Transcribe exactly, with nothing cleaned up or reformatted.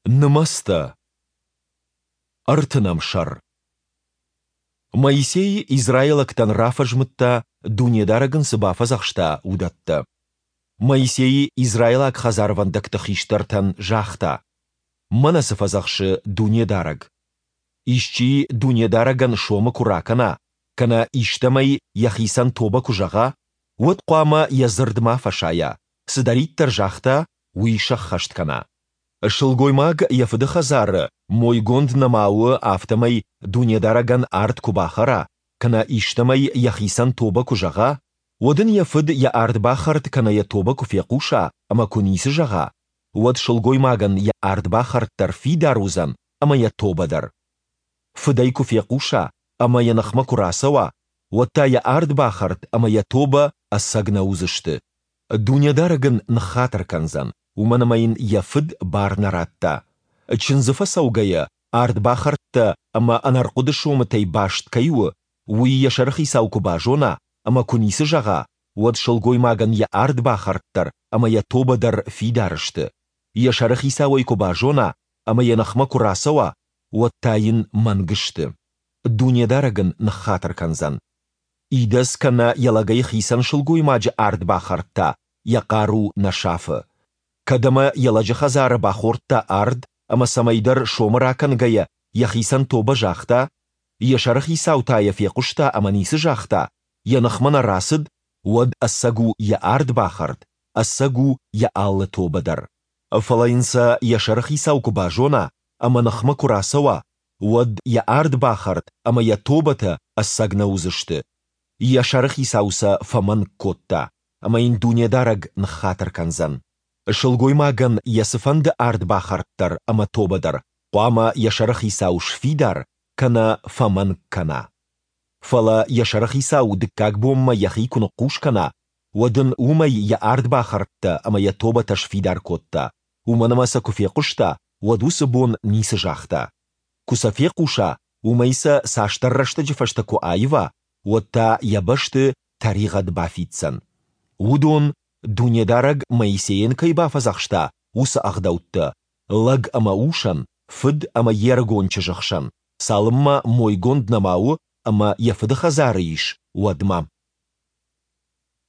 Нымӕцтӕ. Ӕртынӕм сӕр. Моисей израилӕгтӕн рафӕзмыдта, Дунедарӕг ын цы бафӕдзӕхста, уыдӕттӕ. Моисей израилаг хӕдзарвӕндӕгты хистӕртӕн загъта: Мӕнӕ цы фӕдзӕхсы Дунедарӕг. Исчи Дунедарӕгӕн сомы куы ракӕна, кӕнӕ истӕмӕй йӕхицӕн тобӕ куы зӕгъа, уӕд хъуамӕ йӕ дзырд ма фӕсайа, цыдӕриддӕр загъта, уый сӕххӕст кӕна. Сылгоймаг йӕ фыды хӕдзары, мойгонд нӕма у, афтӕмӕй Дунедарӕгӕн ард куы бахӕра, кӕнӕ истӕмӕй йӕхицӕн тобӕ куы зӕгъа, уӕд ын йӕ фыд йӕ ардбахӕрд кӕнӕ йӕ тобӕ куы фехъуса ӕмӕ куы ницы зӕгъа, уӕд сылгоймагӕн йӕ ардбахӕрд дӕр фидар уыдзӕн ӕмӕ йӕ тобӕ дӕр. Фыд ӕй куы фехъуса ӕмӕ йӕ ныхмӕ куы рацӕуа, уӕд та йӕ ардбахӕрд ӕмӕ йӕ тобӕ ӕцӕг нӕ уыдзысты. Дунедарӕг ын ныххатыр кӕндзӕн, уымӕн ӕмӕ йын йӕ фыд бар нӕ радта. Чындзы фӕцӕугӕйӕ, ардбахӕрдтӕ ӕмӕ ӕнӕрхъуыды сомытӕй баст кӕй у, уый йӕ сӕрыхицау куы базона ӕмӕ куы ницы зӕгъа, уӕд сылгоймагӕн йӕ ардбахӕрд дӕр ӕмӕ йӕ тобӕ дӕр фидар сты. Йӕ сӕрыхицау ӕй куы базона ӕмӕ йӕ ныхмӕ куы рацӕуа, уӕд та йын мӕнг сты. Дунедарӕг ын ныххатыр кӕндзӕн. Идӕдз кӕнӕ йӕ лӕгӕй хицӕн сылгоймаджы ардбахӕрд та йӕ хъару нӕ сафы. Кӕд ӕмӕ йӕ лӕджы хӕдзары бахордта ард ӕмӕ цӕмӕйдӕр сомы ракӕнгӕйӕ йӕхицӕн тобӕ загъта, йӕ сӕрыхицау та йӕ фехъуыста ӕмӕ ницы загъта, йӕ ныхмӕ нӕ рацыд, уӕд ӕцӕг у йӕ ардбахӕрд, ӕцӕг у йӕ алы тобӕ дӕр. Фӕлӕ йын сӕ йӕ сӕрыхицау куы базона ӕмӕ ныхмӕ куы рацӕуа, уӕд йӕ ардбахӕрд ӕмӕ йӕ тобӕтӕ ӕцӕг нӕ уыдзысты. Йӕ сӕрыхицау сӕ фӕмӕнг кодта, ӕмӕ йын Дунедарӕг ныххатыр кӕндзӕн. Сылгоймагӕн йӕ цыфӕнды ардбахӕрд дӕр ӕмӕ тобӕ дӕр хъуамӕ йӕ сӕрыхицау сфидар кӕнӕ фӕмӕнг кӕна. Фӕлӕ йӕ сӕрыхицау дыккаг бонмӕ йӕхи куы ныхъхъус кӕна, уӕд ын уымӕй йӕ ардбахӕрдтӕ ӕмӕ йӕ тобӕтӕ сфидар кодта, уымӕн ӕмӕ сӕ куы фехъуыста, уӕд уыцы бон ницы загъта. Куы сӕ фехъуса, уымӕй сӕ цасдӕр рӕстӕджы фӕстӕ куы аива, уӕд та йӕ бӕсты тӕригъӕд бафиддзӕн. Уыдон, Дунедарӕг Моисейӕн кӕй бафӕдзӕхста, уыцы ӕгъдӕуттӕ, лӕг ӕмӕ усӕн, фыд ӕмӕ йе рыгон чызджы хсӕн, цалынмӕ мойгонд нӕма у ӕмӕ йӕ фыды хӕдзары ис, уӕдмӕ.